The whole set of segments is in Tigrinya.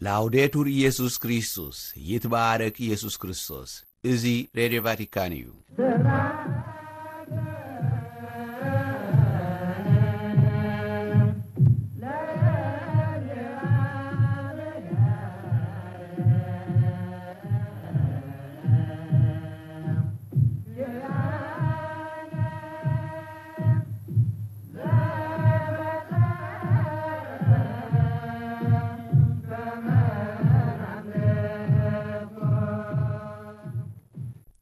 ላውዴቱር ኢየሱስ ክርስቶስ፣ ይትባረክ ኢየሱስ ክርስቶስ። እዚ ሬድዮ ቫቲካን እዩ።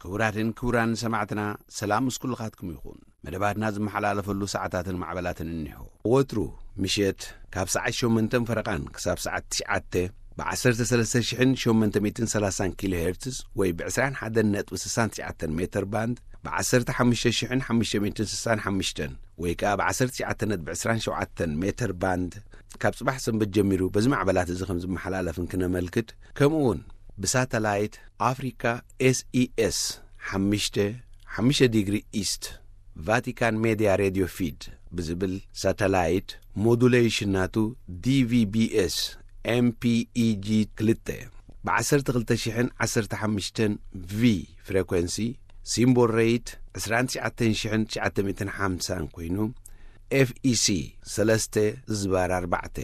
ክቡራትን ክቡራን ሰማዕትና፣ ሰላም ምስ ኩልኻትኩም ይኹን። መደባትና ዝመሓላለፈሉ ሰዓታትን ማዕበላትን እኒሆ። ወትሩ ምሸት ካብ ሰዓት ሸሞንተን ፈረቓን ክሳብ ሰዓት ትሽዓተ ብ13,830 ኪሎ ሄርትዝ ወይ ብ21.99 ሜትር ባንድ፣ ብ15,565 ወይ ከኣ ብ19.27 ሜትር ባንድ፣ ካብ ጽባሕ ሰንበት ጀሚሩ በዚ ማዕበላት እዚ ከም ዝመሓላለፍን ክነመልክት፣ ከምኡ እውን ብሳተላይት ኣፍሪካ ኤስኢኤስ ሓሙሽተ ሓሙሽተ ዲግሪ ኢስት ቫቲካን ሜድያ ሬድዮ ፊድ ብዝብል ሳተላይት፣ ሞዱሌሽን ናቱ ዲቪቢኤስ ኤምፒኢጂ ክልተ ብ12,015 ቪ ፍሬኮንሲ፣ ሲምቦል ሬት ዕስራን ትሽዓተን ሽሕን ትሽዓተ ሚእትን ሓምሳን ኮይኑ፣ ኤፍኢሲ ሰለስተ ዝባር ኣርባዕተ፣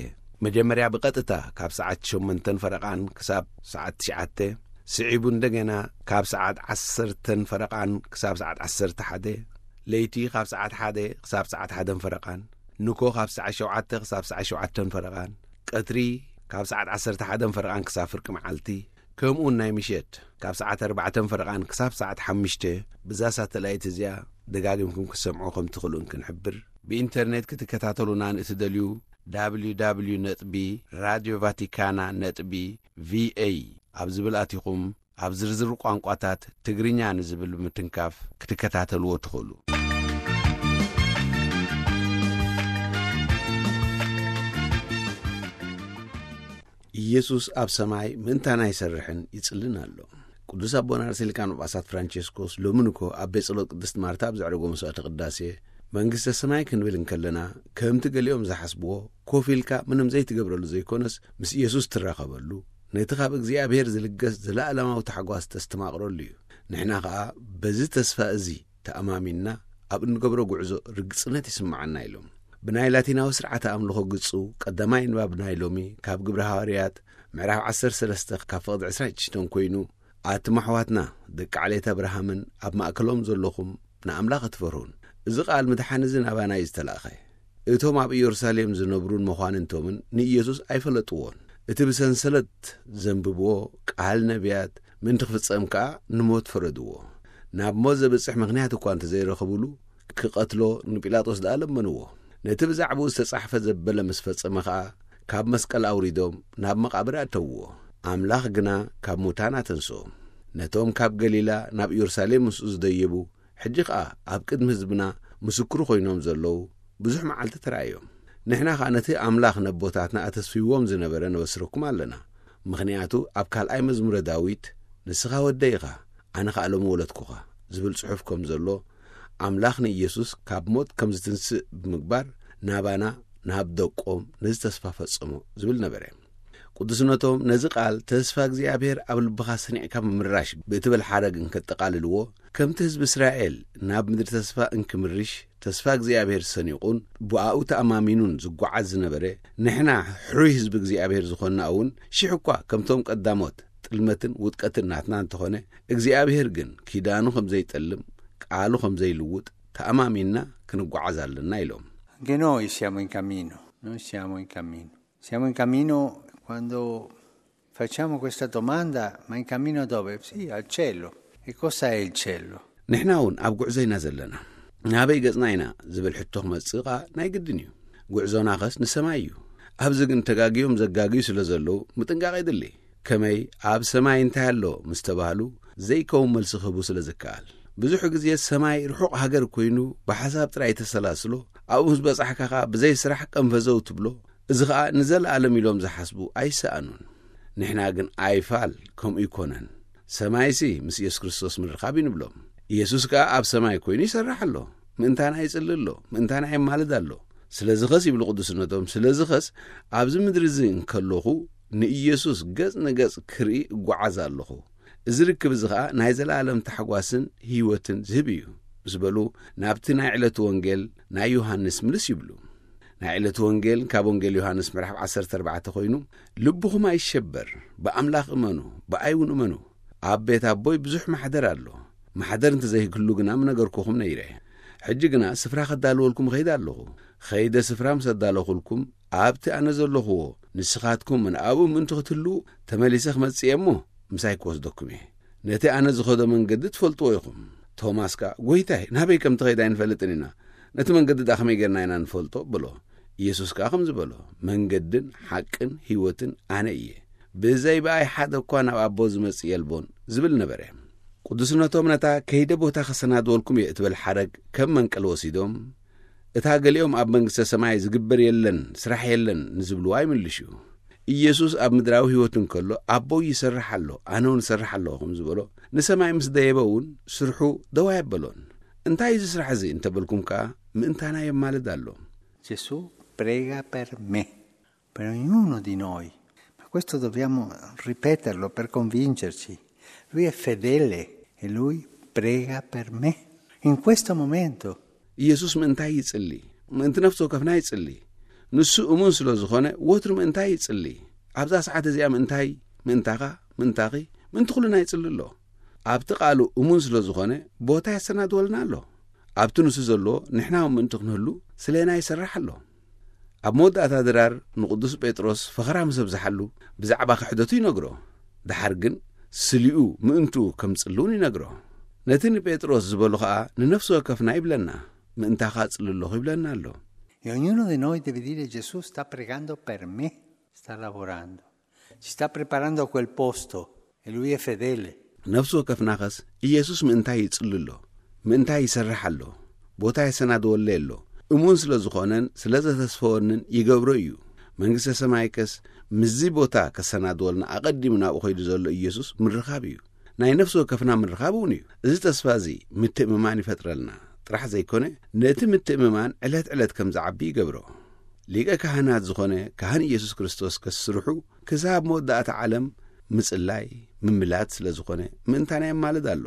መጀመርያ ብቐጥታ ካብ ሰዓት ሸሞንተን ፈረቓን ክሳብ ሰዓት ትሽዓተ፣ ስዒቡ እንደገና ካብ ሰዓት ዓሰርተን ፈረቓን ክሳብ ሰዓት ዓሰርተ ሓደ፣ ለይቲ ካብ ሰዓት ሓደ ክሳብ ሰዓት ሓደን ፈረቓን፣ ንኮ ካብ ሰዓት ሸውዓተ ክሳብ ሰዓት ሸውዓተን ፈረቓን፣ ቀትሪ ካብ ሰዓት ዓሰርተ ሓደን ፈረቓን ክሳብ ፍርቂ መዓልቲ፣ ከምኡውን ናይ ምሸት ካብ ሰዓት ኣርባዕተን ፈረቓን ክሳብ ሰዓት ሓሙሽተ፣ ብዛ ሳተላይት እዚኣ ደጋጊምኩም ክትሰምዑ ከም ትኽእሉ እንክንሕብር፣ ብኢንተርኔት ክትከታተሉና ንእትደልዩ፣ www ነጥቢ ራድዮ ቫቲካና ነጥቢ ቪኤ ኣብ ዝብል ኣቲኹም፣ ኣብ ዝርዝር ቋንቋታት ትግርኛ ንዝብል ብምትንካፍ ክትከታተልዎ ትኽእሉ። ኢየሱስ ኣብ ሰማይ ምእንታና ይሰርሕን ይጽልን ኣሎ። ቅዱስ ኣቦና ርእሰ ሊቃነ ጳጳሳት ፍራንቸስኮስ ሎሚ ንኮ ኣብ ቤት ጸሎት ቅድስት ማርታ ኣብ ዘዕረጎ መስዋዕተ ቅዳሴ፣ መንግስተ ሰማይ ክንብል እንከለና፣ ከምቲ ገሊኦም ዝሓስብዎ፣ ኮፍ ኢልካ ምንም ዘይትገብረሉ ዘይኮነስ፣ ምስ ኢየሱስ ትራኸበሉ፣ ነቲ ካብ እግዚኣብሔር ዝልገስ ዘለኣለማዊ ታሕጓስ ተስተማቕረሉ እዩ። ንሕና ኸኣ በዚ ተስፋ እዚ ተኣማሚንና ኣብ እንገብሮ ጉዕዞ ርግጽነት ይስምዓና ኢሎም። ብናይ ላቲናዊ ስርዓተ ኣምልኾ ግጹ ቀዳማይ ንባብ ናይ ሎሚ ካብ ግብረ ሃዋርያት ምዕራፍ ዓሰርተ ሰለስተ ካብ ፍቕዲ ዕስራን ሽዱሽተን ኮይኑ፣ ኣቱም ኣሕዋትና ደቂ ዓሌት ኣብርሃምን ኣብ ማእከሎም ዘለኹም ንኣምላኽ እትፈርሁን፣ እዚ ቃል ምድሓን እዚ ናባና እዩ ዝተላእኸ። እቶም ኣብ ኢየሩሳሌም ዝነብሩን መኳንንቶምን ንኢየሱስ ኣይፈለጥዎን። እቲ ብሰንሰለት ዘንብብዎ ቃል ነቢያት ምእንቲ ክፍጸም ከኣ ንሞት ፈረድዎ። ናብ ሞት ዘብጽሕ ምኽንያት እኳ እንተ ዘይረኸቡሉ፣ ክቐትሎ ንጲላጦስ ደኣ ለመንዎ። ነቲ ብዛዕባኡ ዝተጻሕፈ ዘበለ ምስ ፈጸመ ኸኣ፣ ካብ መስቀል ኣውሪዶም ናብ መቓብር ኣእተውዎ። ኣምላኽ ግና ካብ ሙታን ኣተንስኦ። ነቶም ካብ ገሊላ ናብ ኢየሩሳሌም ምስኡ ዝደየቡ፣ ሕጂ ኸኣ ኣብ ቅድሚ ህዝብና ምስክሩ ኮይኖም ዘለዉ ብዙሕ መዓልቲ ተራእዮም። ንሕና ኸኣ ነቲ ኣምላኽ ነቦታትና ኣተስፊዎም ዝነበረ ነበስረኩም ኣለና። ምኽንያቱ ኣብ ካልኣይ መዝሙረ ዳዊት፣ "ንስኻ ወደይ ኢኻ፣ ኣነ ኸኣ ሎሚ ወለድኩኻ" ዝብል ጽሑፍ ከም ዘሎ፣ ኣምላኽ ንኢየሱስ ካብ ሞት ከም ዝትንስእ ብምግባር፣ ናባና፣ ናብ ደቆም ነዚ ተስፋ ፈጸሞ ዝብል ነበረ። ቅዱስነቶም ነዚ ቃል ተስፋ እግዚኣብሔር ኣብ ልብኻ ሰኒዕካ ምምራሽ ብእትብል ሓረግ እንከጠቓልልዎ፣ ከምቲ ህዝቢ እስራኤል ናብ ምድሪ ተስፋ እንክምርሽ ተስፋ እግዚኣብሔር ሰኒቑን ብኣኡ ተኣማሚኑን ዝጓዓዝ ዝነበረ፣ ንሕና ሕሩይ ህዝቢ እግዚኣብሔር ዝኾንና እውን ሽሕ እኳ ከምቶም ቀዳሞት ጥልመትን ውድቀትን ናትና እንተኾነ፣ እግዚኣብሔር ግን ኪዳኑ ከም ዘይጠልም፣ ቃሉ ከም ዘይልውጥ ተኣማሚንና ክንጓዓዝ ኣለና ኢሎም። Anche noi siamo in cammino, noi siamo in cammino. Siamo in cammino quando facciamo questa domanda, ma in cammino dove? Sì, al cielo. E cosa è il cielo? ንሕና እውን ኣብ ጉዕዞ ኢና ዘለና። ናበይ ገጽና ኢና ዝብል ሕቶ ክመጽእ ኸኣ ናይ ግድን እዩ። ጉዕዞና ኸስ ንሰማይ እዩ። ኣብዚ ግን ተጋግዮም ዘጋግዩ ስለ ዘለዉ ምጥንቃቕ የድሊ። ከመይ ኣብ ሰማይ እንታይ ኣሎ ምስ ተባህሉ ዘይከውን መልሲ ክህቡ ስለ ዝከኣል። ብዙሕ ግዜ ሰማይ ርሑቕ ሃገር ኮይኑ ብሓሳብ ጥራይ ተሰላስሎ፣ ኣብኡ ምስ በጻሕካ ኸኣ ብዘይ ስራሕ ቀንፈዘው ትብሎ። እዚ ኸኣ ንዘለኣለም ኢሎም ዝሓስቡ ኣይሰኣኑን። ንሕና ግን ኣይፋል ከምኡ ኣይኮነን። ሰማይሲ ምስ ኢየሱስ ክርስቶስ ምርኻብ እዩ ንብሎም። ኢየሱስ ከኣ ኣብ ሰማይ ኮይኑ ይሰርሕ ኣሎ። ምእንታና ይጽሊ ኣሎ። ምእንታና የማልድ ኣሎ። ስለዚ ኸስ ይብሉ ቅዱስነቶም፣ ስለዚ ኸስ ኣብዚ ምድሪ እዚ እንከለኹ ንኢየሱስ ገጽ ንገጽ ክርኢ እጓዓዝ ኣለኹ። እዚ ርክብ እዚ ኸኣ ናይ ዘለኣለም ታሕጓስን ህይወትን ዝህብ እዩ ምስ በሉ፣ ናብቲ ናይ ዕለቱ ወንጌል ናይ ዮሃንስ ምልስ ይብሉ። ናይ ዕለቱ ወንጌል ካብ ወንጌል ዮሃንስ ምዕራፍ ዓሰርተ ኣርባዕተ ኮይኑ፣ "ልብኹም ኣይሸበር፣ ብኣምላኽ እመኑ፣ ብኣይ እውን እመኑ። ኣብ ቤት ኣቦይ ብዙሕ ማሕደር ኣሎ። ማሕደር እንተዘይህሉ ግና ምነገርኩኹም ነይረ። ሕጂ ግና ስፍራ ከዳልወልኩም እኸይድ ኣለኹ። ኸይደ ስፍራ ምስ ኣዳለኹልኩም፣ ኣብቲ ኣነ ዘለኹዎ ንስኻትኩም እውን ኣብኡ ምእንቲ ክትህልዉ፣ ተመሊሰ ክመጽእ እየ እሞ፣ ምሳይ ክወስደኩም እየ። ነቲ ኣነ ዝኸዶ መንገዲ ትፈልጥዎ ኢኹም።" ቶማስ ከኣ፣ "ጐይታይ፣ ናበይ ከም ትኸይድ ኣይንፈልጥን ኢና። ነቲ መንገዲ ደኣ ከመይ ጌርና ኢና ንፈልጦ?" በሎ። ኢየሱስ ከኣ ከምዚ በሎ፣ "መንገድን ሓቅን ህይወትን ኣነ እየ። ብዘይ ብኣይ ሓደ እኳ ናብ ኣቦ ዝመጽእ የልቦን" ዝብል ነበረ። ቅዱስነቶም ነታ "ከይደ ቦታ ከሰናድወልኩም እየ" እትብል ሓረግ ከም መንቀሊ ወሲዶም፣ እታ ገሊኦም ኣብ መንግስተ ሰማይ ዝግበር የለን፣ ስራሕ የለን ንዝብልዋ ይምልሹ። ኢየሱስ ኣብ ምድራዊ ህይወት እንከሎ፣ "ኣቦይ ይሰርሕ ኣሎ፣ ኣነ እውን እሰርሕ ኣለኹ" ከም ዝበሎ፣ ንሰማይ ምስ ደየበ እውን ስርሑ ደው ኣየበሎን። "እንታይ እዚ ስራሕ እዚ?" እንተበልኩም ከኣ፣ ምእንታና የማልድ ኣሎ። Gesù prega per me, per ognuno di noi. Ma questo dobbiamo ripeterlo per convincerci. Lui è fedele e lui prega per me. In questo momento. ኢየሱስ ምእንታይ ይጽሊ? ምእንቲ ነፍሲ ወከፍና ይጽሊ። ንሱ እሙን ስለ ዝኾነ፣ ወትሩ ምእንታይ ይጽሊ? ኣብዛ ሰዓት እዚኣ ምእንታይ፣ ምእንታኻ፣ ምእንታኺ፣ ምእንቲ ኩልና ይጽሊ ኣሎ። ኣብቲ ቃሉ እሙን ስለ ዝኾነ፣ ቦታ የሰናድወልና ኣሎ። ኣብቲ ንሱ ዘለዎ፣ ንሕና እውን ምእንቲ ክንህሉ፣ ስለና ይሰርሕ ኣሎ። ኣብ መወዳእታ ድራር ንቅዱስ ጴጥሮስ ፈኸራ ምስ ኣብዝሓሉ፣ ብዛዕባ ክሕደቱ ይነግሮ። ደሓር ግን ስሊኡ ምእንትኡ ከም ጽሊ እውን ይነግሮ። ነቲ ንጴጥሮስ ዝበሎ ኸኣ ንነፍሲ ወከፍና ይብለና፣ "ምእንታኻ ጽሊ ኣለኹ" ይብለና ኣሎ። E ognuno di noi deve dire: "Gesù sta pregando per me, sta lavorando, si sta preparando quel posto e lui è fedele." ነፍሲ ወከፍናኸስ ኢየሱስ ምእንታይ ይጽሊ ኣሎ? ምእንታይ ይሰርሕ ኣሎ? ቦታ የሰናድወለይ ኣሎ። እሙን ስለ ዝኾነን ስለ ዘተስፈወንን ይገብሮ እዩ። መንግስተ ሰማይከስ ምስዚ ቦታ ከሰናድወልና ኣቐዲሙ ናብኡ ኸይዱ ዘሎ ኢየሱስ ምርኻብ እዩ። ናይ ነፍሲ ወከፍና ምርኻብ እውን እዩ። እዚ ተስፋ እዚ ምትእምማን ይፈጥረልና ጥራሕ ዘይኮነ፣ ነቲ ምትእምማን ዕለት ዕለት ከም ዝዓቢ ይገብሮ። ሊቀ ካህናት ዝኾነ ካህን ኢየሱስ ክርስቶስ ከስርሑ ክሳብ መወዳእታ ዓለም ምጽላይ፣ ምምላድ ስለ ዝኾነ፣ ምእንታና የማልድ ኣሎ።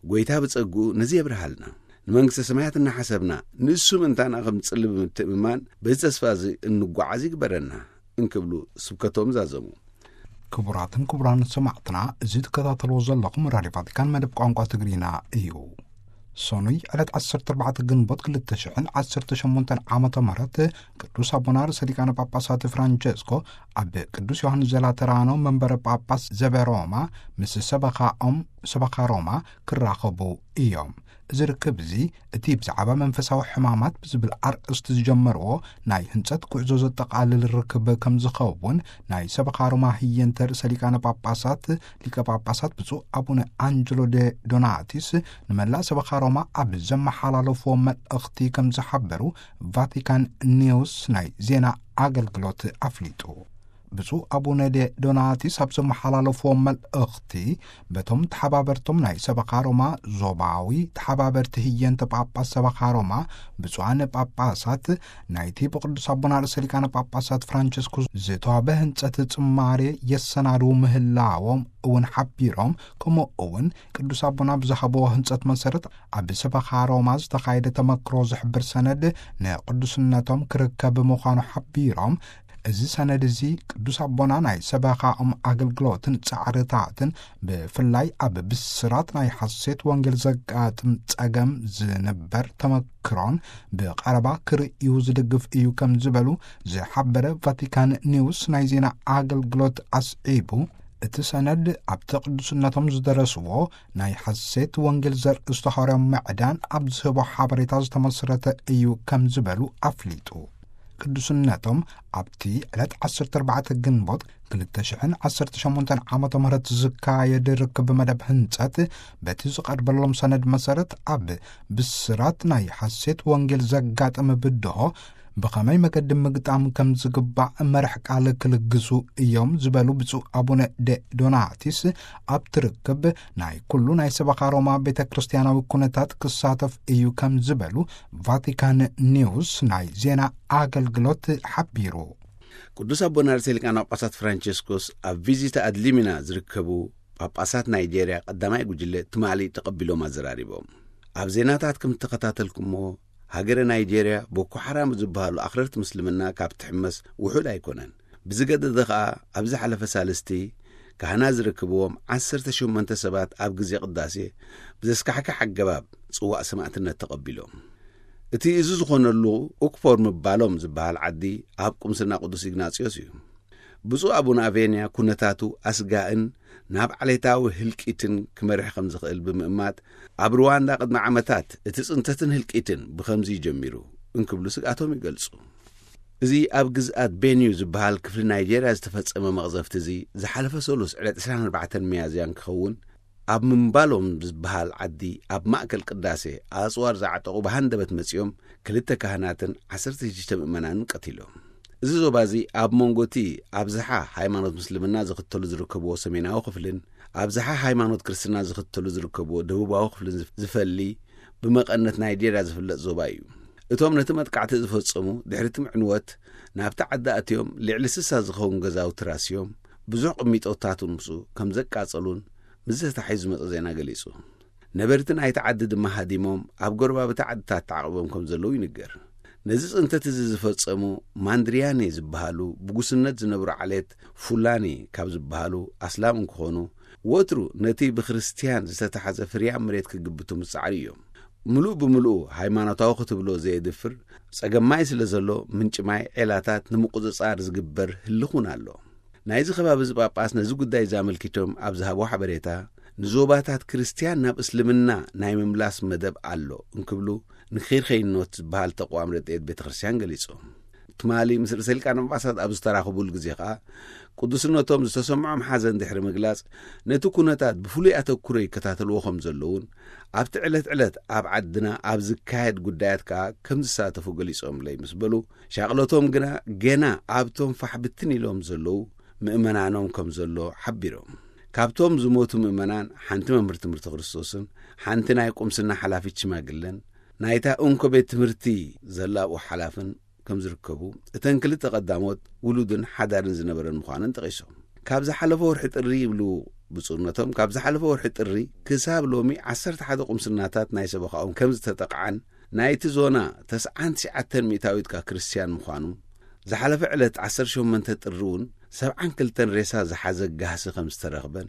ጐይታ ብጸግኡ ነዚ የብርሃልና። ንመንግስተ ሰማያት እናሓሰብና፣ ንሱ ምእንታና ከም ዝጽሊ ብምትእምማን፣ በዚ ተስፋ እዚ እንጓዓዝ ይግበረና እንክብሉ ስብከቶም ዛዘሙ። ክቡራትን ክቡራን ሰማዕትና፣ እዚ ትከታተልዎ ዘለኹም ራድዮ ቫቲካን መደብ ቋንቋ ትግርኛ እዩ። ሰኑይ ዕለት ዓሰርተ ኣርባዕተ ግንቦት ክልተ ሽሕን ዓሰርተ ሸሞንተን ዓመተ ምህረት ቅዱስ ኣቦና ርእሰ ሊቃነ ጳጳሳት ፍራንቸስኮ ኣብ ቅዱስ ዮሃንስ ዘላተራኖ መንበረ ጳጳስ ዘበ ሮማ ምስ ሰበኻኦም፣ ሰበኻ ሮማ ክራኸቡ እዮም። እዚ ርክብ እዚ እቲ ብዛዕባ መንፈሳዊ ሕማማት ብዝብል ኣርእስቲ ዝጀመርዎ ናይ ህንጸት ጉዕዞ ዘጠቓልል ርክብ ከም ዝኸውን ናይ ሰበኻ ሮማ ህየንተ ርእሰ ሊቃነ ጳጳሳት ሊቀ ጳጳሳት ብፁዕ ኣቡነ ኣንጀሎ ደ ዶናቲስ ንመላእ ሰበኻ ሮማ ኣብ ዘመሓላለፍዎ መልእኽቲ ከም ዝሓበሩ ቫቲካን ኒውስ ናይ ዜና ኣገልግሎት ኣፍሊጡ። ብፁዕ ኣቡነ ደ ዶናቲስ ኣብ ዘመሓላለፍዎ መልእኽቲ፣ በቶም ተሓባበርቶም ናይ ሰበኻ ሮማ ዞባዊ ተሓባበርቲ ህየንተ ጳጳስ ሰበኻ ሮማ ብፁዓን ጳጳሳት ናይቲ ብቅዱስ ኣቦና ርእሰ ሊቃነ ጳጳሳት ፍራንቸስኮ ዝተዋበ ህንጸት ጽማሬ የሰናድዉ ምህላዎም እውን ሓቢሮም፣ ከምኡ እውን ቅዱስ ኣቦና ብዝሃብዎ ህንጸት መሰረት ኣብ ሰበኻ ሮማ ዝተኻየደ ተመክሮ ዝሕብር ሰነድ ንቅዱስነቶም ክርከብ ምዃኑ ሓቢሮም፣ እዚ ሰነድ እዚ ቅዱስ ኣቦና ናይ ሰበኻኦም ኣገልግሎትን ጻዕርታትን ብፍላይ ኣብ ብስራት ናይ ሓሴት ወንጌል ዘጋጥም ጸገም ዝንበር ተመክሮን ብቐረባ ክርእዩ ዝድግፍ እዩ ከም ዝበሉ ዝሓበረ ቫቲካን ኒውስ ናይ ዜና ኣገልግሎት ኣስዒቡ፣ እቲ ሰነድ ኣብቲ ቅዱስነቶም ዝደረስዎ ናይ ሓሴት ወንጌል ዘርእስቱ ሃዋርያዊ ምዕዳን ኣብ ዝህቦ ሓበሬታ ዝተመስረተ እዩ ከም ዝበሉ ኣፍሊጡ። ቅዱስነቶም ኣብቲ ዕለት ዓሰርተ ኣርባዕተ ግንቦት ክልተ ሽሕን ዓሰርተ ሸሞንተን ዓመተ ምህረት ዝካየድ ርክብ መደብ ህንጸት በቲ ዝቐርበሎም ሰነድ መሰረት ኣብ ብስራት ናይ ሓሴት ወንጌል ዘጋጠመ ብድሆ ብኸመይ መገዲ ምግጣም ከም ዝግባእ መርሕ ቃል ክልግሱ እዮም ዝበሉ ብፁዕ ኣቡነ ደ ዶናቲስ፣ ኣብቲ ርክብ ናይ ኩሉ ናይ ሰበኻ ሮማ ቤተ ክርስቲያናዊ ኩነታት ክሳተፍ እዩ ከም ዝበሉ ቫቲካን ኒውስ ናይ ዜና ኣገልግሎት ሓቢሩ። ቅዱስ ኣቦና ርእሰ ሊቃነ ጳጳሳት ፍራንቸስኮስ ኣብ ቪዚታ ኣድሊሚና ዝርከቡ ጳጳሳት ናይጄርያ ቀዳማይ ጉጅለ ትማሊ ተቐቢሎም ኣዘራሪቦም። ኣብ ዜናታት ከም እተኸታተልኩሞ፣ ሃገረ ናይጄርያ ቦኮ ሓራም ዝበሃሉ ኣኽረርቲ ምስልምና ካብ ትሕመስ ውሑድ ኣይኮነን። ብዝገደደ ኸኣ፣ ኣብ ዝሓለፈ ሳልስቲ ካህናት ዝርከብዎም ዓሰርተ ሸሞንተ ሰባት ኣብ ግዜ ቅዳሴ ብዘስካሕክሕ ኣገባብ ጽዋእ ሰማእትነት ተቐቢሎም። እቲ እዚ ዝኾነሉ ኡክፖር ምባሎም ዝበሃል ዓዲ ኣብ ቁምስና ቅዱስ ኢግናጽዮስ እዩ። ብፁዕ ኣቡነ ኣቬንያ ኩነታቱ ኣስጋእን ናብ ዓሌታዊ ህልቂትን ክመርሕ ከም ዝኽእል ብምእማት፣ ኣብ ሩዋንዳ ቅድሚ ዓመታት እቲ ጽንተትን ህልቂትን ብኸምዚ ጀሚሩ እንክብሉ ስግኣቶም ይገልጹ። እዚ ኣብ ግዝኣት ቤንዩ ዝበሃል ክፍሊ ናይጄርያ ዝተፈጸመ መቕዘፍቲ እዚ ዝሓለፈ ሰሉስ ዕለት ዕስራን ኣርባዕተን ሚያዝያ እንክኸውን፣ ኣብ ምንባሎም ዝበሃል ዓዲ ኣብ ማእከል ቅዳሴ ኣጽዋር ዝዓጠቑ ብሃንደበት መጺኦም ክልተ ካህናትን ዓሰርተ ሽዱሽተ ምእመናንን ቀቲሎም። እዚ ዞባ እዚ ኣብ መንጎ እቲ ኣብዝሓ ሃይማኖት ምስልምና ዝኽተሉ ዝርከብዎ ሰሜናዊ ክፍልን ኣብዝሓ ሃይማኖት ክርስትና ዝኽተሉ ዝርከብዎ ደቡባዊ ክፍልን ዝፍ-፣ ዝፈሊ ብመቐነት ናይጄርያ ዝፍለጥ ዞባ እዩ። እቶም ነቲ መጥቃዕቲ ዝፈጸሙ ድሕሪ እቲ ምዕንወት ናብቲ ዓዲ ኣትዮም ልዕሊ ስሳ ዝኸውን ገዛውቲ ራስዮም ብዙሕ ቅሚጦታት እውን ምስኡ ከም ዘቃጸሉን ምስ ተታሒዙ ዝመጸ ዜና ገሊጹ። ነበርቲ ናይቲ ዓዲ ድማ ሃዲሞም ኣብ ጎረባብቲ ዓድታት ተዓቕቦም ከም ዘለዉ ይንገር። ነዚ ጽንተት እዚ ዝፈጸሙ ማንድርያኔ ዝበሃሉ ብጉስነት ዝነብሩ ዓሌት ፉላኒ ካብ ዝበሃሉ ኣስላም እንክኾኑ፣ ወትሩ ነቲ ብክርስትያን ዝተታሕዘ ፍርያም መሬት ክግብቱ ምስ ጸዓሩ እዮም። ምሉእ ብምሉኡ ሃይማኖታዊ ክትብሎ ዘየድፍር ጸገም ማይ ስለ ዘሎ፣ ምንጪ ማይ ዔላታት ንምቁጽጻር ዝግበር ህልኽ እውን ኣሎ። ናይዚ ከባቢ እዚ ጳጳስ ነዚ ጉዳይ እዚ ኣመልኪቶም ኣብ ዝሃብዎ ሓበሬታ፣ ንዞባታት ክርስትያን ናብ እስልምና ናይ ምምላስ መደብ ኣሎ እንክብሉ፣ ንኺርኸይኖት ዝበሃል ተቋም ረድኤት ቤተ ክርስትያን ገሊጾም። ትማሊ ምስ ርእሰ ሊቃነ ጳጳሳት ኣብ ዝተራኸቡሉ ግዜ ኸኣ፣ ቅዱስነቶም ዝተሰምዖም ሓዘን ድሕሪ ምግላጽ፣ ነቲ ኩነታት ብፍሉይ ኣተኩሮ ይከታተልዎ ከም ዘለዉን፣ ኣብቲ ዕለት ዕለት ኣብ ዓድና ኣብ ዝካየድ ጉዳያት ከኣ ከም ዝሳተፉ ገሊጾምለይ ምስ በሉ፣ ሻቕሎቶም ግና ገና ኣብቶም ፋሕ ብትን ኢሎም ዘለዉ ምእመናኖም ከም ዘሎ ሓቢሮም። ካብቶም ዝሞቱ ምእመናን ሓንቲ መምህር ትምህርቲ ክርስቶስን ሓንቲ ናይ ቁምስና ሓላፊት ሽማግለን ናይታ እንኮ ቤት ትምህርቲ ዘላብኡ ሓላፍን ከም ዝርከቡ፣ እተን ክልተ ቀዳሞት ውሉድን ሓዳርን ዝነበረን ምዃነን ጠቒሶም። ካብ ዝሓለፈ ወርሒ ጥሪ ይብሉ ብፁዕነቶም፣ ካብ ዝሓለፈ ወርሒ ጥሪ ክሳብ ሎሚ ዓሰርተ ሓደ ቁምስናታት ናይ ሰበኻኦም ከም ዝተጠቕዓን ናይቲ ዞና ተስዓን ትሽዓተን ሚእታዊት ከኣ ክርስትያን ምዃኑ፣ ዝሓለፈ ዕለት ዓሰርተ ሸሞንተ ጥሪ እውን ሰብዓን ክልተን ሬሳ ዝሓዘ ጋህሲ ከም ዝተረኽበን፣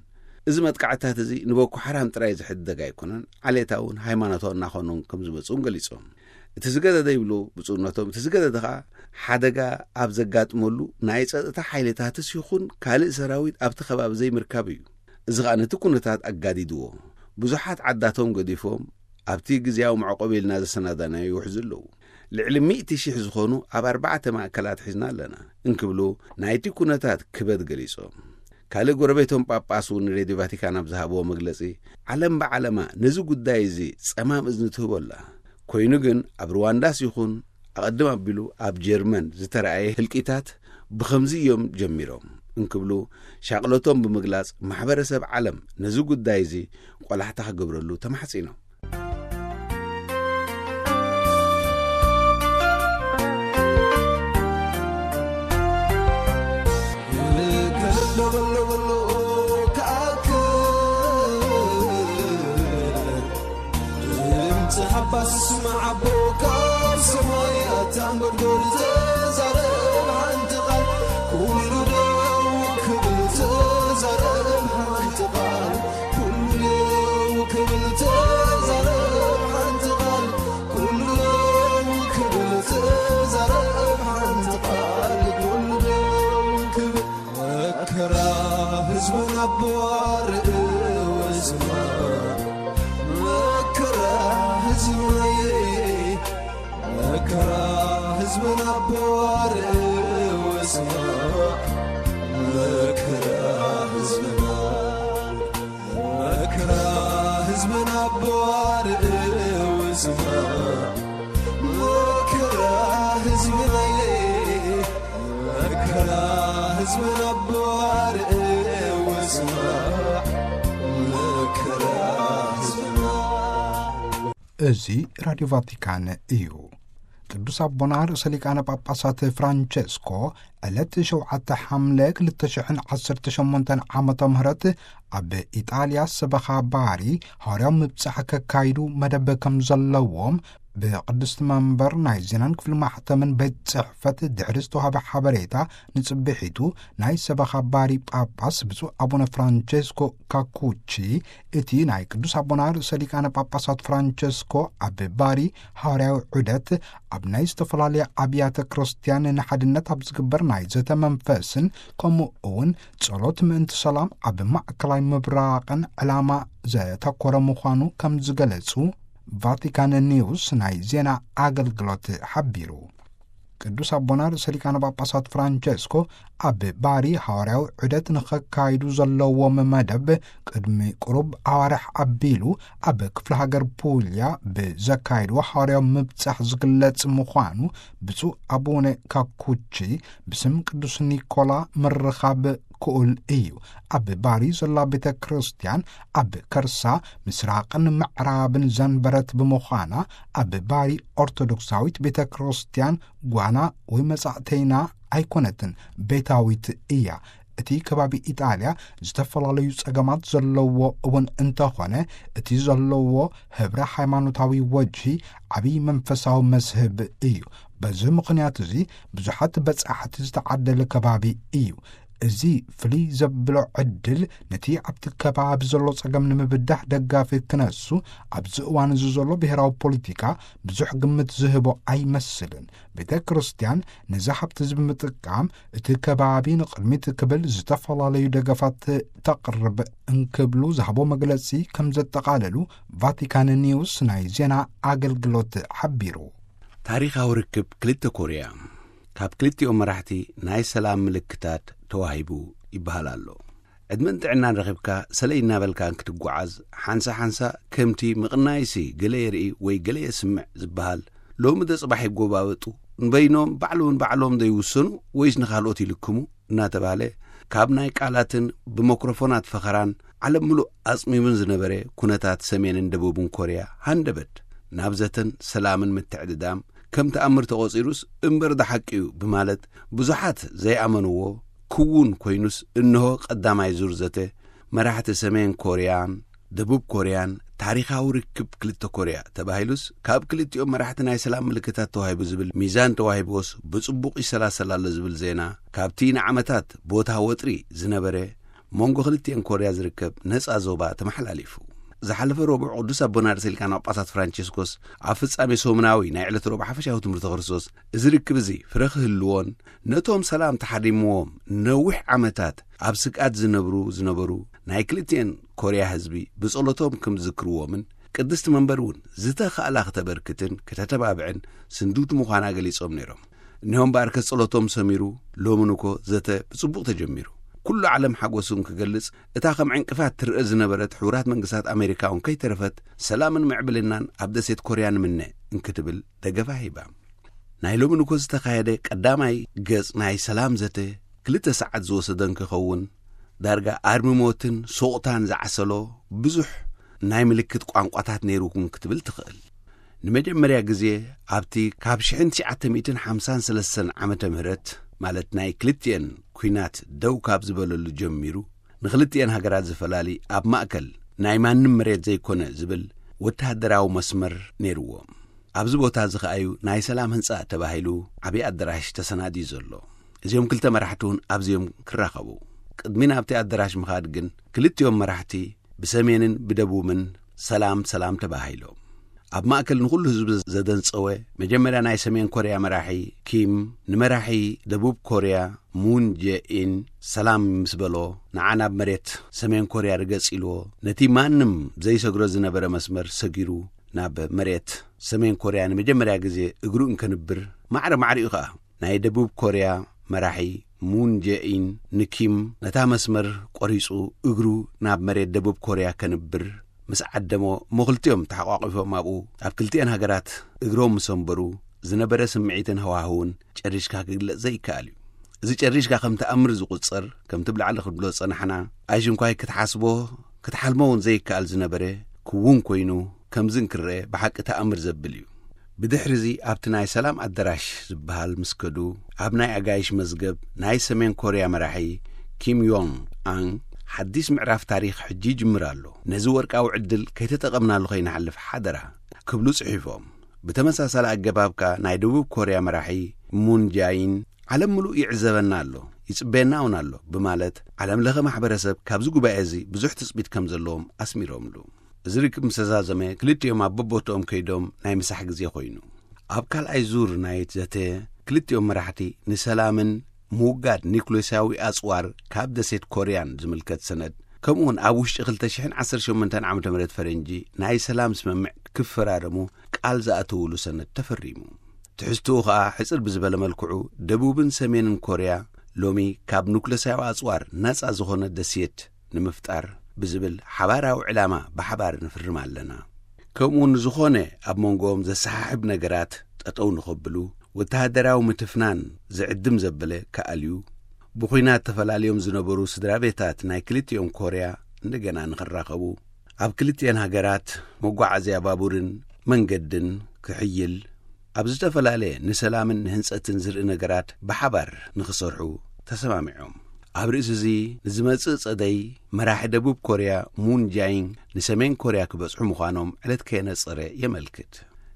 እዚ መጥቃዕታት እዚ ንቦኮ ሓራም ጥራይ ዝሕደግ ኣይኮነን፣ ዓሌታውን ሃይማኖታውን እናኾኑ ከም ዝመጹ እውን ገሊጾም። እቲ ዝገደደ ይብሉ ብፁዕነቶም፣ እቲ ዝገደደ ኸኣ ሓደጋ ኣብ ዘጋጥመሉ ናይ ጸጥታ ሓይልታትስ ይኹን ካልእ ሰራዊት ኣብቲ ከባቢ ዘይምርካብ እዩ። እዚ ኸኣ ነቲ ኩነታት ኣጋዲድዎ። ብዙሓት ዓዳቶም ገዲፎም ኣብቲ ግዝያዊ መዕቆቢ ኢልና ዘሰናዳናዮ ይውሕዙ ኣለዉ። ልዕሊ ሚእቲ ሽሕ ዝኾኑ ኣብ ኣርባዕተ ማእከላት ሒዝና ኣለና እንክብሉ ናይቲ ኩነታት ክበድ ገሊጾም። ካልእ ጎረቤቶም ጳጳስ እውን ንሬድዮ ቫቲካን ኣብ ዝሃብዎ መግለጺ፣ ዓለም ብዓለማ ነዚ ጉዳይ እዚ ጸማም እዝኒ ትህቦ ኣላ። ኮይኑ ግን ኣብ ሩዋንዳስ ይኹን ኣቐድም ኣቢሉ ኣብ ጀርመን ዝተረኣየ ህልቂታት ብኸምዚ እዮም ጀሚሮም እንክብሉ ሻቕለቶም ብምግላጽ፣ ማሕበረሰብ ዓለም ነዚ ጉዳይ እዚ ቆላሕታ ክገብረሉ ተማሕጺኖም። እዚ ራድዮ ቫቲካን እዩ። ቅዱስ ኣቦና ርእሰ ሊቃነ ጳጳሳት ፍራንቸስኮ ዕለት ሸውዓተ ሓምለ ክልተ ሽሕን ዓሰርተ ሸሞንተን ዓመተ ምህረት ኣብ ኢጣልያ ሰበኻ ባሪ ሃዋርያዊ ምብጻሕ ከካይዱ መደብ ከም ዘለዎም ብቅድስቲ መንበር ናይ ዜናን ክፍሊ ማሕተምን ቤት ጽሕፈት ድሕሪ ዝተዋህበ ሓበሬታ ንጽብሒቱ ናይ ሰበኻ ባሪ ጳጳስ ብፁዕ ኣቡነ ፍራንቸስኮ ካኩቺ እቲ ናይ ቅዱስ ኣቦና ርእሰ ሊቃነ ጳጳሳት ፍራንቸስኮ ኣብ ባሪ ሃዋርያዊ ዑደት ኣብ ናይ ዝተፈላለያ ኣብያተ ክርስቲያን ንሓድነት ኣብ ዝግበር ናይ ዘተ መንፈስን ከምኡ እውን ጸሎት ምእንቲ ሰላም ኣብ ማእከላይ ምብራቕን ዕላማ ዘተኮረ ምዃኑ ከም ዝገለጹ ቫቲካን ኒውስ ናይ ዜና ኣገልግሎት ሓቢሩ። ቅዱስ ኣቦና ርእሰ ሊቃነ ጳጳሳት ፍራንቸስኮ ኣብ ባሪ ሃዋርያዊ ዑደት ንኸካይዱ ዘለዎም መደብ ቅድሚ ቁሩብ ኣዋርሕ ኣቢሉ ኣብ ክፍለ ሃገር ፑልያ ብዘካይድዎ ሃዋርያዊ ምብጻሕ ዝግለጽ ምዃኑ ብፁዕ ኣቡነ ካኩቺ ብስም ቅዱስ ኒኮላ ምርኻብ ክኡል እዩ። ኣብ ባሪ ዘላ ቤተ ክርስቲያን ኣብ ከርሳ ምስራቕን ምዕራብን ዘንበረት ብምዃና ኣብ ባሪ ኦርቶዶክሳዊት ቤተ ክርስቲያን ጓና ወይ መጻእተይና ኣይኮነትን፣ ቤታዊት እያ። እቲ ከባቢ ኢጣልያ ዝተፈላለዩ ጸገማት ዘለዎ እውን እንተኾነ እቲ ዘለዎ ህብረ ሃይማኖታዊ ወጅሂ ዓብዪ መንፈሳዊ መስህብ እዩ። በዚ ምኽንያት እዚ ብዙሓት በጻሕቲ ዝተዓደለ ከባቢ እዩ። እዚ ፍልይ ዘብሎ ዕድል ነቲ ኣብቲ ከባቢ ዘሎ ጸገም ንምብዳህ ደጋፊ ክነሱ ኣብዚ እዋን እዚ ዘሎ ብሔራዊ ፖለቲካ ብዙሕ ግምት ዝህቦ ኣይመስልን። ቤተ ክርስቲያን ነዚ ሃብቲ እዚ ብምጥቃም እቲ ከባቢ ንቕድሚት ክብል ዝተፈላለዩ ደገፋት ተቕርብ እንክብሉ ዝሃቦ መግለጺ ከም ዘጠቓለሉ ቫቲካን ኒውስ ናይ ዜና ኣገልግሎት ሓቢሩ። ታሪኻዊ ርክብ ክልተ ኮርያ ካብ ክልቲኦም መራሕቲ ናይ ሰላም ምልክታት ተዋሂቡ ይበሃል ኣሎ። ዕድመን ጥዕናን ረኺብካ ሰለይ እናበልካ ክትጓዓዝ ሓንሳ ሓንሳ ከምቲ ምቕናይሲ ገለ የርኢ ወይ ገለ የስምዕ ዝበሃል ሎሚ ዶ ጽባሕ ይጎባበጡ፣ ንበይኖም ባዕሎም ባዕሎም ዘይውሰኑ ወይስ ንኻልኦት ይልክሙ እናተባህለ ካብ ናይ ቃላትን ብሞክሮፎናት ፈኸራን ዓለም ምሉእ ኣጽሚሙን ዝነበረ ኩነታት ሰሜንን ደቡብን ኮርያ ሃንደበት ናብ ዘተን ሰላምን ምትዕድዳም ከም ተኣምር ተቖጺሩስ እምበር ደሓቂ እዩ ብማለት ብዙሓት ዘይኣመንዎ ክውን ኮይኑስ እንሆ ቀዳማይ ዙር ዘተ መራሕቲ ሰሜን ኮርያን ደቡብ ኮርያን ታሪኻዊ ርክብ ክልተ ኮርያ ተባሂሉስ ካብ ክልቲኦም መራሕቲ ናይ ሰላም ምልክታት ተዋሂቡ ዝብል ሚዛን ተዋሂብዎስ ብጽቡቕ ይሰላሰል ኣሎ ዝብል ዜና ካብቲ ንዓመታት ቦታ ወጥሪ ዝነበረ መንጎ ክልቲኤን ኮርያ ዝርከብ ነጻ ዞባ ተመሓላሊፉ። ዝሓለፈ ረቡዕ ቅዱስ ኣቦና ርእሰ ሊቃነ ጳጳሳት ፍራንቸስኮስ ኣብ ፍጻሜ ሰሙናዊ ናይ ዕለት ረቡዕ ሓፈሻዊ ትምህርቲ ክርስቶስ እዚ ርክብ እዚ ፍረ ክህልዎን ነቶም ሰላም ተሓሪምዎም ነዊሕ ዓመታት ኣብ ስግኣት ዝነብሩ ዝነበሩ ናይ ክልቲኤን ኮርያ ህዝቢ ብጸሎቶም ከም ዝዝክርዎምን ቅድስቲ መንበር እውን ዝተኻእላ ክተበርክትን ክተተባብዕን ስንዱድ ምዃና ገሊጾም ነይሮም። እኒሆም በኣርከ ጸሎቶም ሰሚሩ ሎምን እኮ ዘተ ብጽቡቕ ተጀሚሩ። ኩሉ ዓለም ሓጎሱ እንክገልጽ እታ ከም ዕንቅፋት ትርአ ዝነበረት ሕቡራት መንግስታት ኣሜሪካ እውን ከይተረፈት ሰላምን ምዕብልናን ኣብ ደሴት ኮርያ ንምነ እንክትብል ደገፋ ሂባ። ናይ ሎሚ ንኮ ዝተኻየደ ቀዳማይ ገጽ ናይ ሰላም ዘተ ክልተ ሰዓት ዝወሰደ እንክኸውን ዳርጋ ኣርሚ ሞትን ሶቕታን ዝዓሰሎ ብዙሕ ናይ ምልክት ቋንቋታት ነይሩ እውን ክትብል ትኽእል። ንመጀመርያ ግዜ ኣብቲ ካብ ሽሕን ትሽዓተ ሚእትን ሓምሳን ሰለስተን ዓመተ ምህረት ማለት ናይ ክልቲኤን ኲናት ደው ካብ ዝበለሉ ጀሚሩ ንክልቲኤን ሃገራት ዝፈላሊ ኣብ ማእከል ናይ ማንም መሬት ዘይኮነ ዝብል ወተሃደራዊ መስመር ነይርዎ። ኣብዚ ቦታ እዚ ከኣዩ ናይ ሰላም ህንጻ ተባሂሉ ዓብዪ ኣደራሽ ተሰናድዩ ዘሎ። እዚኦም ክልተ መራሕቲ እውን ኣብዚኦም ክራኸቡ ቅድሚ ናብቲ ኣደራሽ ምኻድ ግን ክልቲኦም መራሕቲ ብሰሜንን ብደቡብን ሰላም ሰላም ተባሂሎም። ኣብ ማእከል ንኹሉ ህዝቢ ዘደንጸወ መጀመርያ ናይ ሰሜን ኮርያ መራሒ ኪም ንመራሒ ደቡብ ኮርያ ሙን ጀኢን ሰላም ምስ በሎ ንዓ ናብ መሬት ሰሜን ኮርያ ርገጽ ኢልዎ ነቲ ማንም ዘይሰግሮ ዝነበረ መስመር ሰጊሩ ናብ መሬት ሰሜን ኮርያ ንመጀመርያ ግዜ እግሩ እንከንብር ማዕረ ማዕሪኡ ኸኣ ናይ ደቡብ ኮርያ መራሒ ሙን ጀኢን ንኪም ነታ መስመር ቆሪጹ እግሩ ናብ መሬት ደቡብ ኮርያ ከንብር ምስ ዓደሞ እሞ ክልቲኦም ተሓቋቒፎም ኣብኡ ኣብ ክልቲኤን ሃገራት እግሮም ምስ ኣንበሩ ዝነበረ ስምዒትን ሃዋህውን ጨሪሽካ ክግለጽ ዘይከኣል እዩ። እዚ ጨሪሽካ ከም ተኣምር ዝቑጸር ከምቲ ብላዕሊ ክንብሎ ዝጸናሕና ኣይሽንኳይ ክትሓስቦ ክትሓልሞ እውን ዘይከኣል ዝነበረ ክውን ኮይኑ ከምዚ እንክረአ ብሓቂ ተኣምር ዘብል እዩ። ብድሕርዚ ኣብቲ ናይ ሰላም ኣደራሽ ዝበሃል ምስ ከዱ፣ ኣብ ናይ ኣጋይሽ መዝገብ ናይ ሰሜን ኮርያ መራሒ ኪም ዮንግ ኣን ሓዲስ ምዕራፍ ታሪኽ ሕጂ ይጅምር ኣሎ። ነዚ ወርቃዊ ዕድል ከይተጠቐምናሉ ከይንሓልፍ ሓደራ ክብሉ ጽሒፎም። ብተመሳሳሊ ኣገባብ ከኣ ናይ ደቡብ ኮርያ መራሒ ሙን ጃይን ዓለም ምሉእ ይዕዘበና ኣሎ፣ ይጽበየና እውን ኣሎ ብማለት ዓለም ለኸ ማሕበረሰብ ካብዚ ጉባኤ እዚ ብዙሕ ትጽቢት ከም ዘለዎም ኣስሚሮምሉ። እዚ ርክብ ምስ ተዛዘመ ክልቲኦም ኣብ በቦትኦም ከይዶም ናይ ምሳሕ ግዜ ኮይኑ። ኣብ ካልኣይ ዙር ናይ ዘተ ክልቲኦም መራሕቲ ንሰላምን ምውጋድ ኒኩሌሳዊ ኣጽዋር ካብ ደሴት ኮርያን ዝምልከት ሰነድ ከምኡውን ኣብ ውሽጢ ክልተ ሽሕን ዓሰርተ ሸሞንተን ዓመተ ምህረት ፈረንጂ ናይ ሰላም ስምምዕ ክፈራረሙ ቃል ዝኣተውሉ ሰነድ ተፈሪሙ። ትሕዝትኡ ኸኣ ሕጽር ብዝበለ መልክዑ ደቡብን ሰሜንን ኮርያ ሎሚ ካብ ኑክለሳዊ ኣጽዋር ነጻ ዝኾነ ደሴት ንምፍጣር ብዝብል ሓባራዊ ዕላማ ብሓባር ንፍርም ኣለና። ከምኡ ንዝኾነ ኣብ መንጎኦም ዘሰሓሕብ ነገራት ጠጠው ንኸብሉ ወተሃደራዊ ምትፍናን ዝዕድም ዘበለ ክኣልዩ ብኹናት ተፈላልዮም ዝነበሩ ስድራ ቤታት ናይ ክልቲኦም ኮርያ እንደገና ንኽራኸቡ ኣብ ክልቲኤን ሃገራት መጓዓዝያ ባቡርን መንገድን ክሕይል ኣብ ዝተፈላለየ ንሰላምን ንህንጸትን ዝርኢ ነገራት ብሓባር ንኽሰርሑ ተሰማሚዖም። ኣብ ርእሲ እዚ ንዝመጽእ ጸደይ መራሒ ደቡብ ኮርያ ሙን ጃይን ንሰሜን ኮርያ ክበጽሑ ምዃኖም ዕለት ከየነጸረ የመልክት።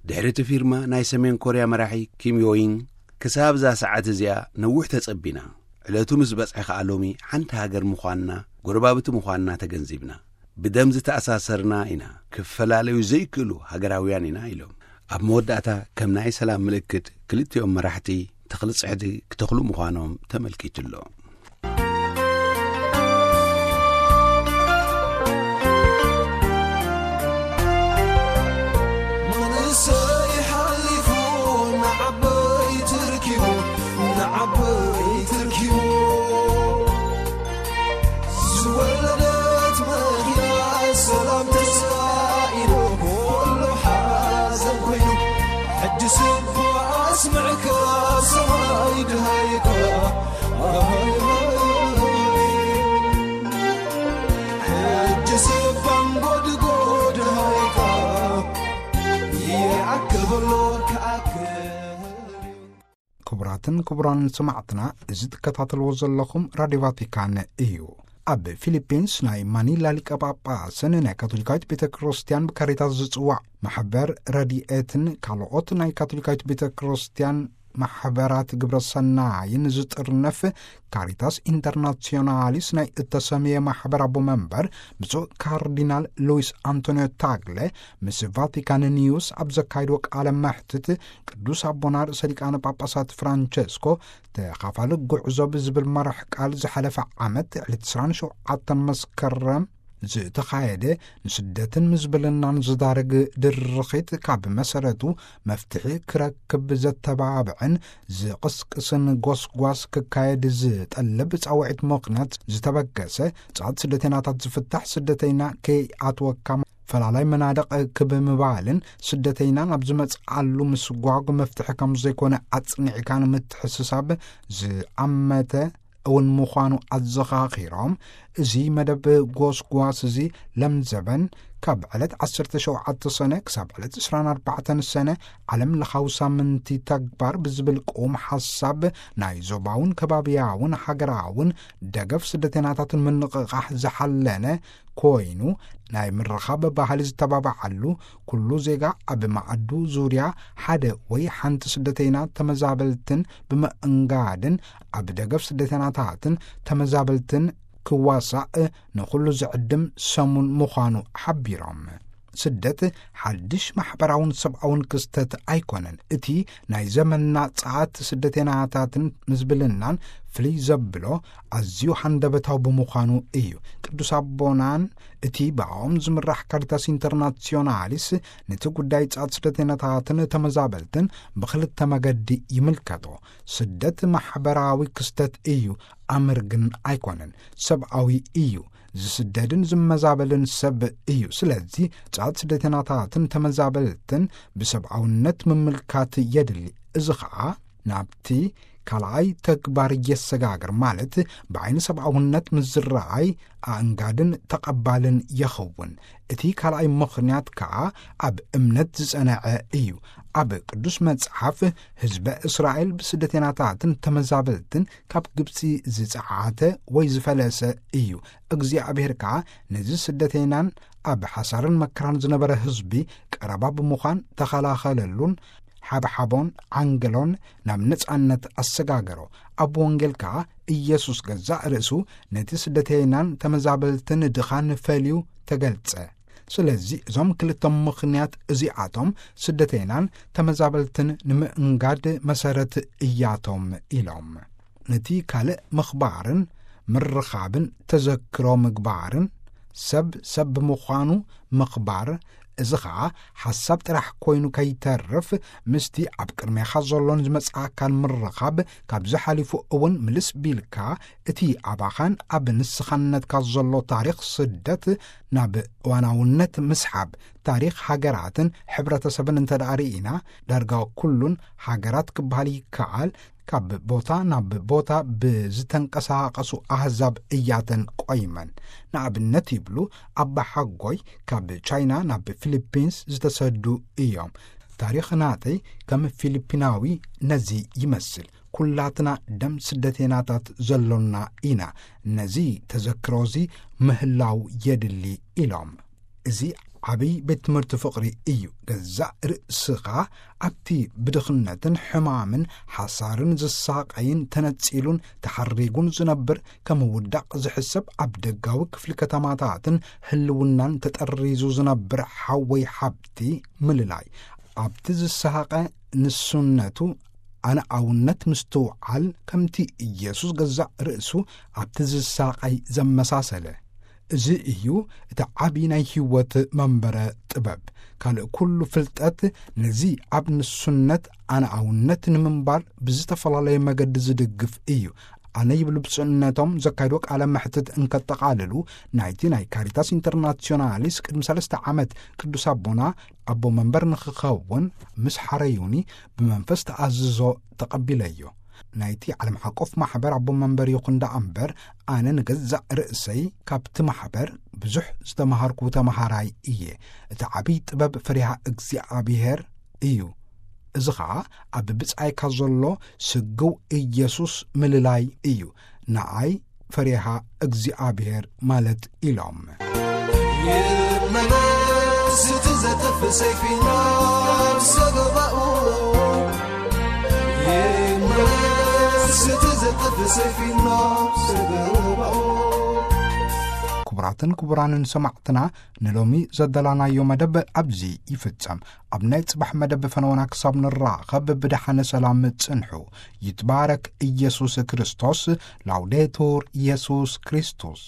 ድሕሪ እቲ ፊርማ ናይ ሰሜን ኮርያ መራሒ ኪም ዮይን ክሳብ እዛ ሰዓት እዚኣ ነዊሕ ተጸቢና። ዕለቱ ምስ በጽሐ ከኣ ሎሚ ሓንቲ ሃገር ምዃንና፣ ጎረባብቲ ምዃንና ተገንዚብና። ብደም ዝተኣሳሰርና ኢና፣ ክፈላለዩ ዘይክእሉ ሃገራውያን ኢና ኢሎም። ኣብ መወዳእታ ከም ናይ ሰላም ምልክት ክልቲኦም መራሕቲ ተኽሊ ጽሕዲ ክተኽሉ ምዃኖም ተመልኪቱ ኣሎ። መንእሰይ ሓሊፉ ንዓበይቲ ርኪቡ፣ ንዓበይቲ ርኪቡ። ዝወለደት መኪና ሰላም ተሳኢሉ፣ ኩሉ ሓዘን ኮይኑ። ሕጂ ስባ ኣስምዕካ ሰማይ ድሃይካ። ሕጂ ስባን ጎድጎድ ሃይካ ይኣክል በሎ ክኣክል። ክቡራትን ክቡራን ሰማዕትና፣ እዚ ትከታተልዎ ዘለኹም ራድዮ ቫቲካን እዩ። ኣብ ፊሊፒንስ ናይ ማኒላ ሊቀ ጳጳስን ናይ ካቶሊካዊት ቤተ ክርስቲያን ብካሪታስ ዝጽዋዕ ማሕበር ረድኤትን ካልኦት ናይ ካቶሊካዊት ቤተ ክርስቲያን ማሕበራት ግብረ ሰናይን ዝጥርነፍ ካሪታስ ኢንተርናሲዮናሊስ ናይ እተሰምየ ማሕበር ኣቦ መንበር ብፁዕ ካርዲናል ሉዊስ ኣንቶኒዮ ታግለ ምስ ቫቲካን ኒውስ ኣብ ዘካየድዎ ቃለ መሕትት፣ ቅዱስ ኣቦና ርእሰ ሊቃነ ጳጳሳት ፍራንቸስኮ ተኻፋሊ ጉዕዞ ብዝብል መራሕ ቃል ዝሓለፈ ዓመት ዕለት ዕስራን ሸውዓተን መስከረም ዝተኻየደ ንስደትን ምዝብልናን ዝዳርግ ድርኺት ካብ መሰረቱ መፍትሒ ክረክብ ዘተባብዕን ዝቕስቅስን ጎስጓስ ክካየድ ዝጠልብ ጻውዒት ምኽንያት ዝተበገሰ ጻዕት ስደተይናታት ዝፍታሕ ስደተይና ከይኣትወካ ፈላላይ መናድቕ ክብ ምባልን ስደተይና ናብ ዝመጽኣሉ ምስጓጉ መፍትሒ ከም ዘይኮነ ኣጽኒዕካ ንምትሕስሳብ ዝኣመተ እውን ምዃኑ ኣዘኻኺሮም፣ እዚ መደብ ጎስጓስ እዚ ለምዘበን ካብ ዕለት ዓሰርተ ሸውዓተ ሰነ ክሳብ ዕለት ዕስራን ኣርባዕተን ሰነ ዓለም ለኻዊ ሳምንቲ ተግባር ብዝብል ቅዉም ሓሳብ ናይ ዞባውን ከባብያውን ሃገራውን ደገፍ ስደተይናታትን ምንቕቓሕ ዝሓለነ ኮይኑ፣ ናይ ምርኻብ ባህሊ ዝተባብዓሉ፣ ኩሉ ዜጋ ኣብ መኣዱ ዙርያ ሓደ ወይ ሓንቲ ስደተይና ተመዛበልትን ብምእንጋድን ኣብ ደገፍ ስደተይናታትን ተመዛበልትን ክዋሳእ ንኹሉ ዝዕድም ሰሙን ምዃኑ ሓቢሮም። ስደት ሓድሽ ማሕበራውን ሰብኣውን ክስተት ኣይኮነን። እቲ ናይ ዘመንና ጸዓት ስደተይናታትን ምዝብልናን ፍልይ ዘብሎ ኣዝዩ ሃንደበታዊ ብምዃኑ እዩ። ቅዱስ ኣቦናን እቲ ብኣኦም ዝምራሕ ካሪታስ ኢንተርናሲዮናሊስ ነቲ ጉዳይ ጸዓት ስደተይናታትን ተመዛበልትን ብኽልተ መገዲ ይምልከቶ። ስደት ማሕበራዊ ክስተት እዩ፣ ኣምር ግን ኣይኮነን። ሰብኣዊ እዩ። ዝስደድን ዝመዛበልን ሰብ እዩ። ስለዚ ጸዓት ስደተይናታትን ተመዛበልትን ብሰብኣውነት ምምልካት የድሊ። እዚ ኸኣ ናብቲ ካልኣይ ተግባር የሰጋግር፣ ማለት ብዓይኒ ሰብኣውነት ምስ ዝረኣይ ኣእንጋድን ተቐባልን የኸውን። እቲ ካልኣይ ምኽንያት ከኣ ኣብ እምነት ዝጸንዐ እዩ። ኣብ ቅዱስ መጽሓፍ፣ ህዝበ እስራኤል ብስደተይናታትን ተመዛበልትን ካብ ግብጺ ዝጸዓተ ወይ ዝፈለሰ እዩ። እግዚኣብሔር ከኣ ነዚ ስደተይናን ኣብ ሓሳርን መከራን ዝነበረ ህዝቢ ቀረባ ብምዃን ተኸላኸለሉን ሓብሓቦን ዓንገሎን ናብ ነጻነት ኣሰጋገሮ። ኣብ ወንጌል ከኣ ኢየሱስ ገዛእ ርእሱ ነቲ ስደተይናን ተመዛበልትን ድኻን ፈልዩ ተገልጸ። ስለዚ እዞም ክልተ ምኽንያት እዚኣቶም ስደተይናን ተመዛበልትን ንምእንጋድ መሰረት እያቶም ኢሎም። ነቲ ካልእ ምኽባርን ምርኻብን ተዘክሮ ምግባርን ሰብ ሰብ ብምዃኑ ምኽባር፣ እዚ ኸኣ ሓሳብ ጥራሕ ኮይኑ ከይተርፍ፣ ምስቲ ኣብ ቅድሜኻ ዘሎን ዝመጽኣካን ምርኻብ፣ ካብዚ ሓሊፉ እውን ምልስ ቢልካ እቲ ኣባኻን ኣብ ንስኻነትካ ዘሎ ታሪኽ ስደት ናብ እዋናውነት ምስሓብ፣ ታሪኽ ሃገራትን ሕብረተሰብን እንተ ደኣ ርኢና፣ ዳርጋ ኩሉን ሃገራት ክበሃል ይከኣል፣ ካብ ቦታ ናብ ቦታ ብዝተንቀሳቐሱ ኣህዛብ እያተን ቆይመን። ንኣብነት ይብሉ፣ ኣባ ሓጎይ ካብ ቻይና ናብ ፊሊፒንስ ዝተሰዱ እዮም። ታሪኽ ናተይ ከም ፊሊፒናዊ ነዚ ይመስል። ኩላትና ደም ስደተይናታት ዘሎና ኢና። ነዚ ተዘክሮዚ ምህላው የድሊ ኢሎም። እዚ ዓብይ ቤት ትምህርቲ ፍቕሪ እዩ። ገዛእ ርእስኻ ኣብቲ ብድኽነትን ሕማምን ሓሳርን ዝሳቐይን ተነጺሉን ተሓሪጉን ዝነብር ከም ውዳቕ ዝሕሰብ ኣብ ደጋዊ ክፍሊ ከተማታትን ህልውናን ተጠሪዙ ዝነብር ሓወይ ሓብቲ ምልላይ፣ ኣብቲ ዝሰሃቐ ንሱነቱ ኣነኣውነት ምስትውዓል፣ ከምቲ ኢየሱስ ገዛእ ርእሱ ኣብቲ ዝሳቐይ ዘመሳሰለ። እዚ እዩ እቲ ዓቢ ናይ ህይወት መንበረ ጥበብ። ካልእ ኩሉ ፍልጠት ነዚ ኣብ ንሱነት ኣነኣውነት ንምንባር ብዝተፈላለየ መገዲ ዝድግፍ እዩ። ኣነ ይብሉ ብፁዕነቶም ዘካይዶ ቃለ መሕትት እንከጠቓልሉ፣ ናይቲ ናይ ካሪታስ ኢንተርናሲዮናሊስ ቅድሚ ሰለስተ ዓመት ቅዱስ ኣቦና ኣቦ መንበር ንኽኸውን ምስ ሓረዩኒ ብመንፈስ ተኣዝዞ ተቐቢለዮ። ናይቲ ዓለም ሓቆፍ ማሕበር ኣቦ መንበር ይኹን ደኣ እምበር፣ ኣነ ንገዛእ ርእሰይ ካብቲ ማሕበር ብዙሕ ዝተምሃርኩ ተምሃራይ እየ። እቲ ዓብይ ጥበብ ፈሪሃ እግዚኣብሔር እዩ። እዚ ኸኣ ኣብ ብጻይካ ዘሎ ስግው ኢየሱስ ምልላይ እዩ። ንኣይ ፈሪሃ እግዚኣብሔር ማለት ኢሎም። ይመለስ እቲ ዘጥፍ ሰይፊ ናብ ሰገባኡ፣ ይመለስ እቲ ዘጥፍ ሰይፊ ናብ ሰገባኡ። ክቡራትን ክቡራንን ሰማዕትና፣ ንሎሚ ዘዳለናዮ መደብ ኣብዚ ይፍጸም። ኣብ ናይ ጽባሕ መደብ ፈነወና ክሳብ ንራኸብ ብደሓነ ሰላም ጽንሑ። ይትባረክ ኢየሱስ ክርስቶስ። ላውዴቱር ኢየሱስ ክርስቶስ።